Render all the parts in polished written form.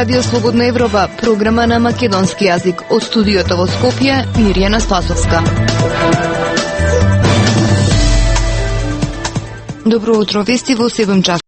Радио Слободна Европа, програма на македонски јазик. Од студиото во Скопје, Мирјана Спасовска. Добро утро, вести во 7 часот.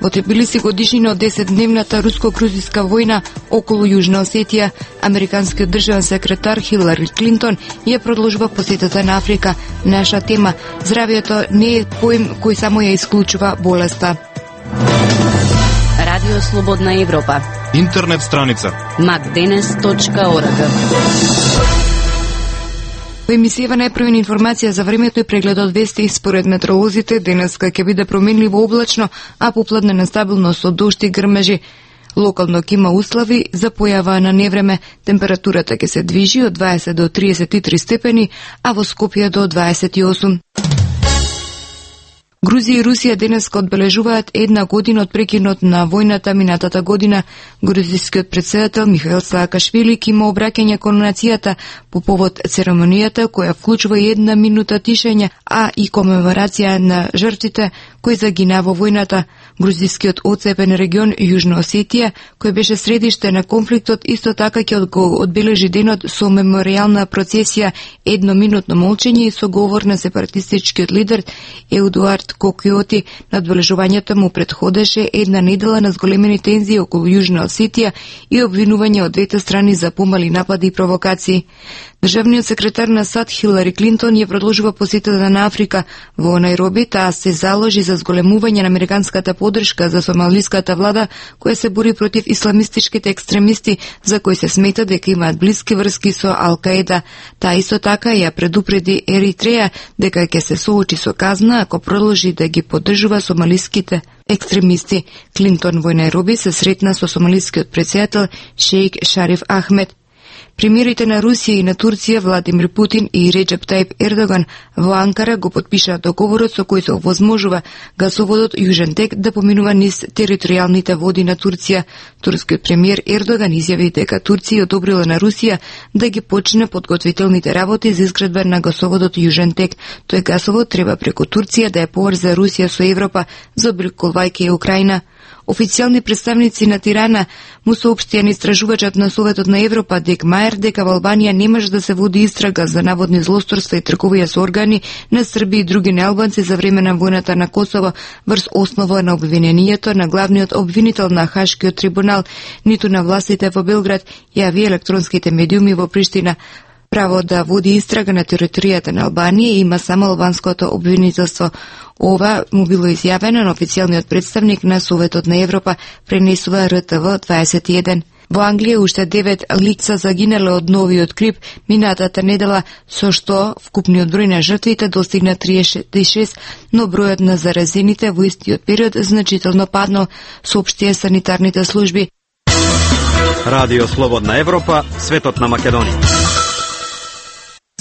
Во Тбилиси годишнина од 10-дневната руско-грузиска војна околу Јужна Осетија, американскиот државен секретар Хилари Клинтон ја продолжува посетата на Африка. Наша тема: здравјето не е поим кој само ја исклучува болеста. Радио Слободна Европа. Интернет страница macdenes.org. Во емисијава најпрвена информација за времето и прегледот вести. Според метеоролозите, денеска ќе биде променливо облачно, а попладне нестабилно со дожд и грмежи. Локално ќе има услови за појава на невреме. Температурата ќе се движи од 20 до 33 степени, а во Скопје до 28. Грузија и Русија денеска одбележуваат една година од прекинот на војната минатата година. Грузискиот претседател Михаил Саакашвили ќе има обраќање кон нацијата по повод церемонијата, која вклучува и 1 минута тишење, а и комеморација на жртвите кои загина во војната. Грузискиот одцепен регион Јужна Осетија, кој беше средиште на конфликтот, исто така ќе го одбележи денот со меморијална процесија, 1-минутно молчење и со говор на сепаратистичкиот лидер Едуард Кокиоти. Надбележувањето му претходеше една недела на зголемени тензии околу Јужна Осетија и обвинување од двете страни за помали напади и провокации. Државниот секретар на САД Хилари Клинтон ја продолжува посетата на Африка. Во Најроби таа се заложи за зголемување на американската поддршка за сомалиската влада, која се бори против исламистичките екстремисти, за кои се смета дека имаат блиски врски со Ал-Каеда. Таа исто така ја предупреди Еритреја дека ќе се соочи со казна ако продолжи да ги поддржува сомалиските екстремисти. Клинтон во Најроби се сретна со сомалискиот претседател Шејк Шариф Ахмед. Премиерите на Русија и на Турција Владимир Путин и Реджеп Тајип Ердоган во Анкара го потпишаа договорот со кој се овозможува гасоводот Јужен тек да поминува низ територијалните води на Турција. Турскиот премиер Ердоган изјави дека Турција одобрила на Русија да ги почне подготвителните работи за изградба на гасоводот Јужен тек. Тој гасовод треба преку Турција да е поврзе Русија со Европа, заобиколвајќи и Украина. Официјални представници на Тирана му соопштија на истражувачот на Советот на Европа Дек Мајер дека во Албанија не може да се води истрага за наводни злосторства и трговија со органи на Срби и други неалбанци за време на војната на Косово врз основа на обвинението на главниот обвинител на Хашкиот трибунал, ниту на властите во Белград, јави електронските медиуми во Приштина. Право да води истрага на територијата на Албанија има само албанското обвинителство. Ова му било изјавено на официјалниот представник на Советот на Европа, пренесува РТВ 21. Во Англија уште 9 лица загинале од новиот грип минатата недела, со што вкупниот број на жртвите достигна 36, но бројот на заразените во истиот период значително паднал, соопштија санитарните служби. Радио Слободна Европа, светот на Македонија.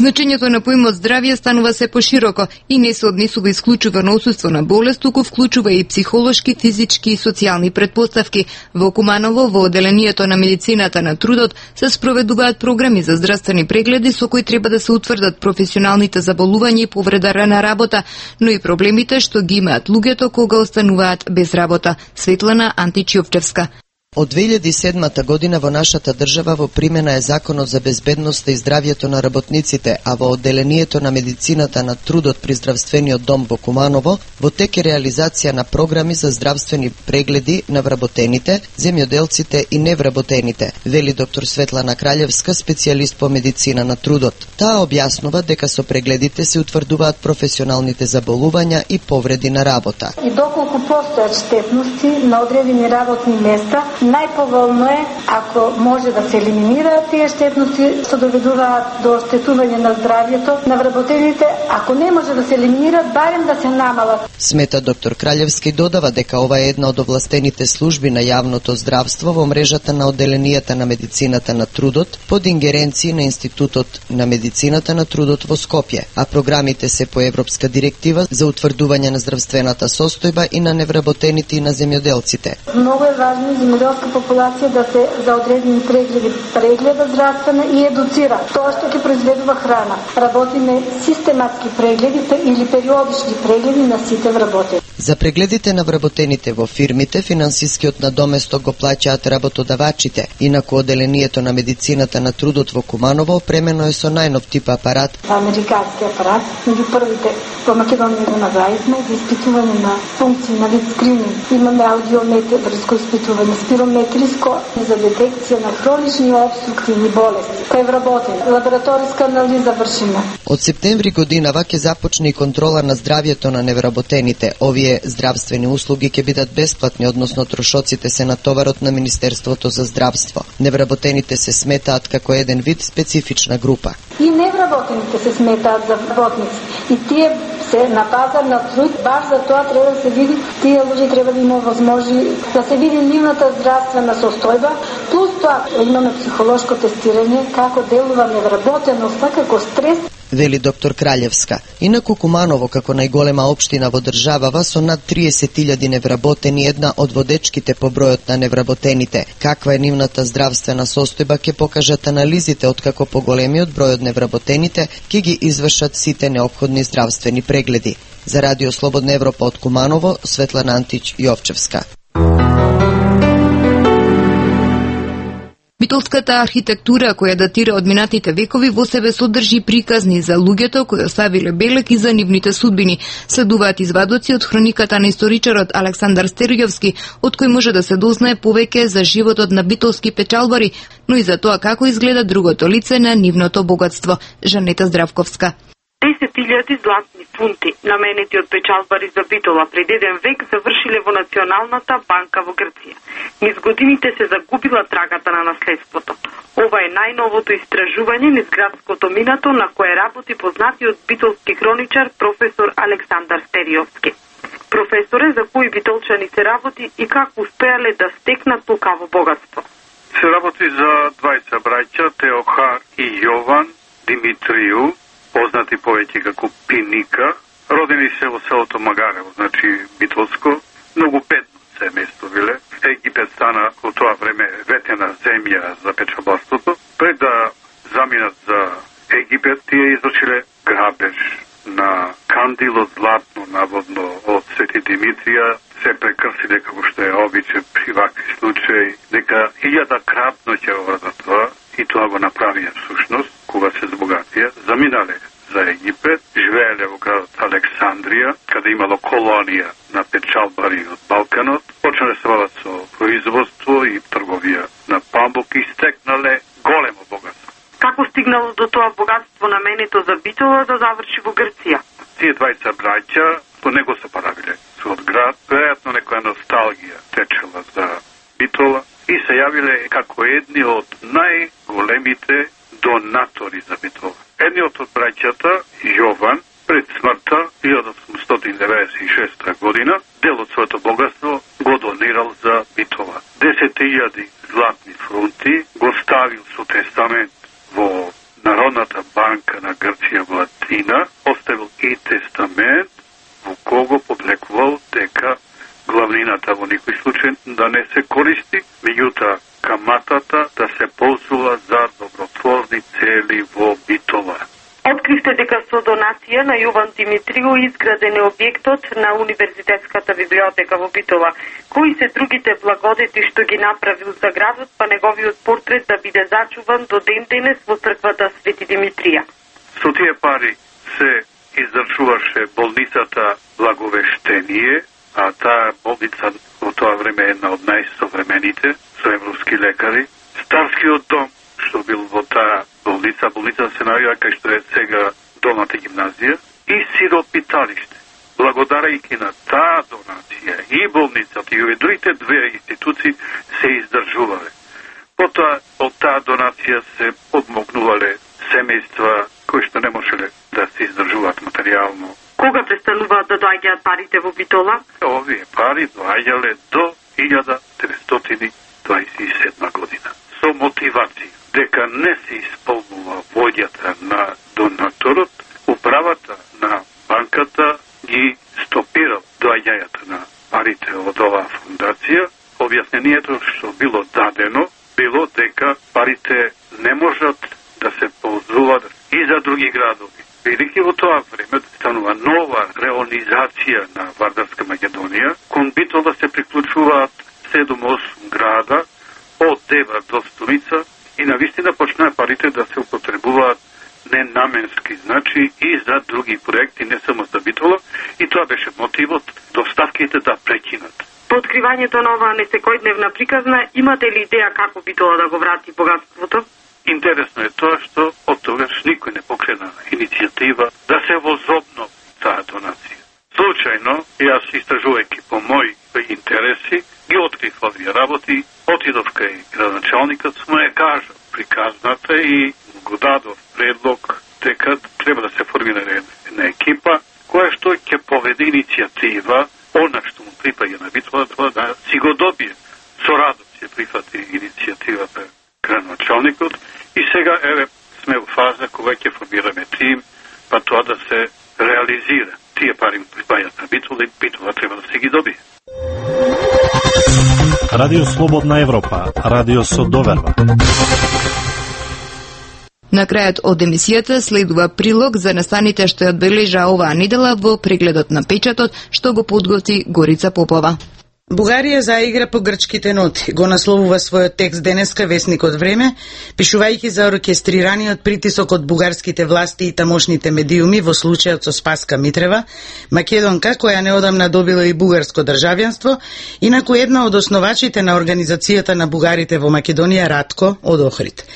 Значењето на поимот здравје станува се пошироко и не се однесува исклучувано отсуство на болест, туку вклучува и психолошки, физички и социјални претпоставки. Во Куманово, во оделението на медицината на трудот, се спроведуваат програми за здравствени прегледи со кои треба да се утврдат професионалните заболувања и повреда на работа, но и проблемите што ги имаат луѓето кога остануваат без работа. Светлана Античјовчевска. Од 2007 година во нашата држава во примена е Законот за безбедноста и здравјето на работниците, а во оделението на медицината на трудот при здравствениот дом во Куманово во тек е реализација на програми за здравствени прегледи на вработените, земјоделците и невработените, вели доктор Светлана Краљевска, специјалист по медицина на трудот. Таа објаснува дека со прегледите се утврдуваат професионалните заболувања и повреди на работа. И доколку постојат штетности на одредени работни места, најповолно е ако може да се елиминираат тие штетности што доведуваат до оштетување на здравјето на вработените, ако не може да се елиминираат, барем да се намалат. Смета доктор Краљевски додава дека ова е една од овластените служби на јавното здравство во мрежата на оделенијата на медицината на трудот под ингеренција на Институтот на медицината на трудот во Скопје, а програмите се по европска директива за утврдување на здравствената состојба и на невработените и на земјоделците. Многу е важно земјоделската популација да се за одредени прегледи прегледа здравствено и едуцира. Тоа што ќе произведува храна. Работиме систематски прегледи или периодични прегледи на сите вработени. За прегледите на вработените во фирмите, финансискиот надоместок го плаќаат работодавачите, инаку одделението на медицината на трудот во Куманово опремено е со најнов тип апарат. Американски апарат, меѓу првите во Македонија го направивме за испитување на функции на вид скрининг. Имаме аудиометриско испитување, спирометриско за детекција на хронични обструктивни болести. Кај вработени, лабораториска анализа вршиме. Од септември годинава ќе започне и контрола на здравјето на невработените. Овие здравствени услуги ќе бидат бесплатни, односно трошоците се на товарот на Министерството за здравство. Невработените се сметаат како еден вид специфична група. И невработените се сметаат за работници. И тие се на пазар на труд, баш за тоа треба да се види, тие луѓе треба да има возможи да се види нивната здравствена состојба, плюс тоа имаме психолошко тестирање како делува невработеноста, како стрес. Вели доктор Краљевска. Инаку Куманово, како најголема општина во државава со над 30.000 невработени, една од водечките по бројот на невработените. Каква е нивната здравствена состојба ќе покажат анализите, откако поголемиот број од невработените ќе ги извршат сите неопходни здравствени прегледи. За Радио Слободна Европа од Куманово, Светлана Антич Јовчевска. Битолската архитектура, која датира од минатите векови, во себе содржи приказни за луѓето кои оставиле белек и за нивните судбини. Следуваат извадоци од хрониката на историчарот Александар Стеријовски, од кој може да се дознае повеќе за животот на битолски печалбари, но и за тоа како изгледа другото лице на нивното богатство. Жанета Здравковска. 10.000 златни фунти, наменети од печалбари за Битола пред еден век, завршиле во Националната банка во Грција. Низ годините се загубила трагата на наследството. Ова е најновото истражување низ градското минато на кое работи познатиот битолски хроничар професор Александар Стеријовски. Професоре, за кои битолчани се работи и како успеале да стекнат толкаво богатство? Се работи за двајца браќа, Теохар и Јован Димитрију, познати повеќе како Пиника, родени се во селото Магарево, значи Битолско, многу бедно семејство биле. Египет стана во тоа време ветена земја за печалбарството. Пред да заминат за Египет, тие извршиле грабеж на кандило златно, наводно, од Свети Димитрија, се прекрсиле како што е обичај при вакви случаи, дека 1000 крапноќа за тоа, и тоа го направија всушност, кога се збогатија, заминале за Египет, живееле во градот Александрија, каде имало колонија на печалбари од Балканот, почнале се бават со производство и трговија на памук и стекнале големо богатство. Како стигнало до тоа богатство наменето за Битола да заврши во Грција? Тие двајца браќа по него се поравиле со од град, веројатно некоја носталгија течела за Битола и се јавиле како едни од најголемите донатори за Битола. Едниот од браќата, Јован, пред смртта 1896 година, дел од своето богатство го донирал за Битола. 10.000 златни фунти го ставил со тестамент во Народната банка на Грција во Атина, оставил и тестамент во кого подлекувал дека главнината во никој случај да не се користи, меѓутоа каматата да се ползува за добротворни цели во Битола. Откривте дека со донација на Јован Димитрију изграден е објектот на Универзитетската библиотека во Битола. Кои се другите благодети што ги направил за градот, па неговиот портрет да биде зачуван до ден денес во црквата Свети Димитрија? Со тие пари се издржуваше болницата Благовештение, а таа болница во тоа време е една од најсовремените, со европски лекари. Старскиот дом, што бил во таа болница се наоѓа кај што е сега долната гимназија, и сиропиталиште. Благодарајќи на таа донација и болницата и другите две институции се издржувале. Потоа од таа донација се подмогнувале семејства кои што не можеле да се издржуваат материјално. Кога престануваат да доаѓаат парите во Битола? Овие пари доаѓале до 1927 година. Со мотивација дека не се исполнува вољата на донаторот, управата на банката ги стопирал доаѓањето на парите од оваа фондација. Објаснението што било дадено било дека парите не можат да се ползуваат и за други градови. Велики во тоа време станува нова реонизација на Вардарска Македонија. Кон Битола се приклучуваат 7-8 града од Девар до Столица и навистина почнаа парите да се употребуваат ненаменски, значи и за други проекти, не само за Битола, и тоа беше мотивот доставките да прекинат. По откривањето на оваа несекојдневна приказна, имате ли идеја како Битола да го врати богатството? Интересно е тоа што од тогаш никој не покрена иницијатива да се возобно таа донација. Случајно, јас истражувајќи по мои интереси, ги открив овие работи, отидов кај градоначалникот, му ја кажа приказната и го дадов предлог дека треба да се формира една екипа која што ќе поведе иницијатива, она што му припаѓа на Битола, тоа да си го добие. Со радост се прифати иницијативата градоначалникот и сега еве сме во фаза кога ќе формираме тим, па тоа да се реализира. Тие пари му припаѓаат на Битола и Битола треба да се ги добие. Радио Слободна Европа, радио со доверба. На крајот од емисијата следува прилог за настаните што ја одбележа оваа недела во прегледот на печатот што го подготви Горица Попова. Бугарија заигра по грчките ноти, го насловува својот текст денеска весникот Време, пишувајќи за оркестрираниот притисок од бугарските власти и тамошните медиуми во случајот со Спаска Митрева, македонка која неодамна добила и бугарско државјанство, инаку една од основачите на Организацијата на бугарите во Македонија Ратко од Охрид.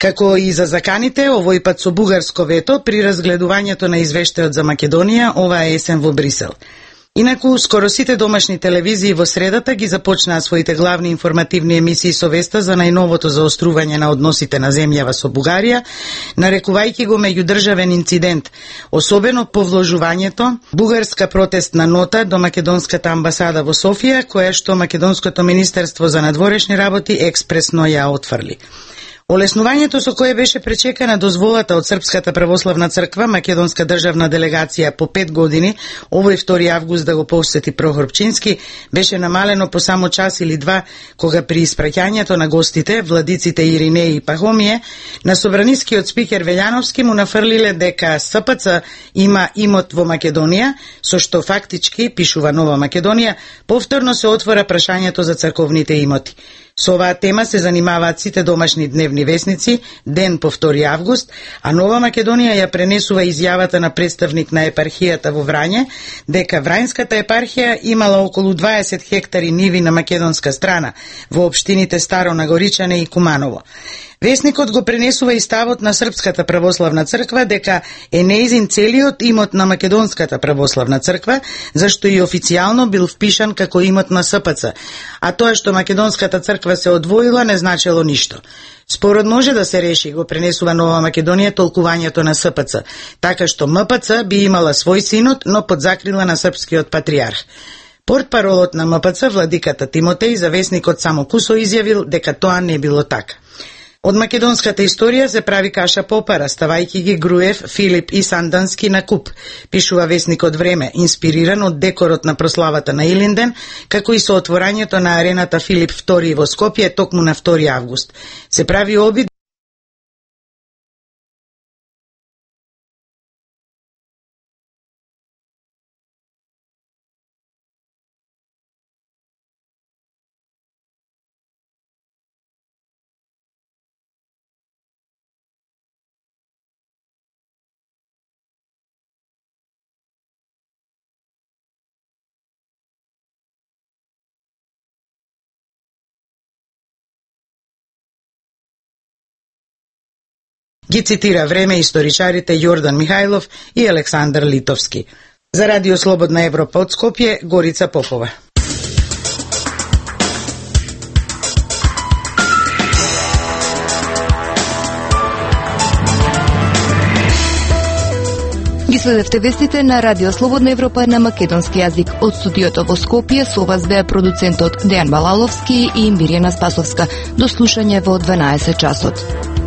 Како и за заканите, овој пат со бугарско вето при разгледувањето на извештајот за Македонија оваа есен во Брисел. Инаку, скоро сите домашни телевизии во средата ги започнаа своите главни информативни емисии со веста за најновото заострување на односите на земјава со Бугарија, нарекувајќи го меѓудржавен инцидент, особено по вложувањето бугарска протестна нота до македонската амбасада во Софија, која што Македонското министерство за надворешни работи експресно ја отфрли. Олеснувањето со кое беше пречекана дозволата од Српската православна црква, македонска државна делегација по 5 години, овој 2 август да го посети Прохор Пчински, беше намалено по само час или два, кога при испраќањето на гостите, владиците Иринеј и Пахомие, на собранискиот спикер Велјановски му нафрлиле дека СПЦ има имот во Македонија, со што фактички, пишува Нова Македонија, повторно се отвора прашањето за црковните имоти. Со оваа тема се занимаваат сите домашни дневни весници, ден по 2 август, а Нова Македонија ја пренесува изјавата на представник на епархијата во Врање, дека Врањската епархија имала околу 20 хектари ниви на македонска страна, во општините Старо Нагоричане и Куманово. Весникот го пренесува и ставот на Српската православна црква дека е неизин целиот имот на Македонската православна црква, зашто и официјално бил впишан како имот на СПЦ, а тоа што Македонската црква се одвоила не значело ништо. Спорот може да се реши, го пренесува Нова Македонија толкувањето на СПЦ, така што МПЦ би имала свој синод, но под закрила на српскиот патриарх. Портпаролот на МПЦ, владиката Тимотеј, за весникот Само Кусо изјавил дека тоа не било така. Од македонската историја се прави каша попара, ставајќи ги Груев, Филип и Сандански на куп, пишува весникот Време, инспириран од декорот на прославата на Илинден, како и со отворањето на арената Филип II во Скопје токму на 2 август. Се прави обид ги цитира Време историчарите Јордан Михајлов и Александар Литовски. За Радио Слободна Европа од Скопје, Горица Попова. Ги следевте вестите на Радио Слободна Европа на македонски јазик. Од студиото во Скопје со вас беа продуцентот Дејан Балаловски и Мирјана Спасовска. До слушање во 12 часот.